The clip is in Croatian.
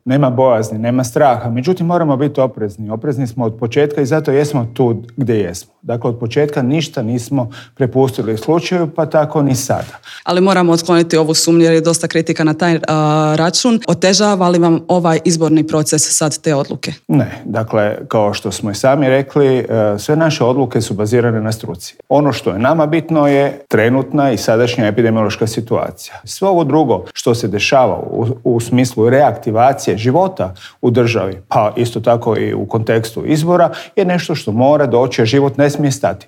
nema bojazni, nema straha. Međutim, moramo biti oprezni. Oprezni smo od početka i zato jesmo tu gdje jesmo. Dakle, od početka ništa nismo prepustili slučaju, pa tako ni sada. Ali moramo otkloniti ovu sumnju jer je dosta kritika na taj račun. Otežava li vam ovaj izborni proces sad te odluke? Ne. Dakle, kao što smo i sami rekli, sve naše odluke su bazirane na struci. Ono što je nama bitno je trenutna i sadašnja epidemiološka situacija. Sve ovo drugo što se dešava u smislu reaktivacije života u državi, pa isto tako i u kontekstu izbora, je nešto što mora doći, a život ne smije stati.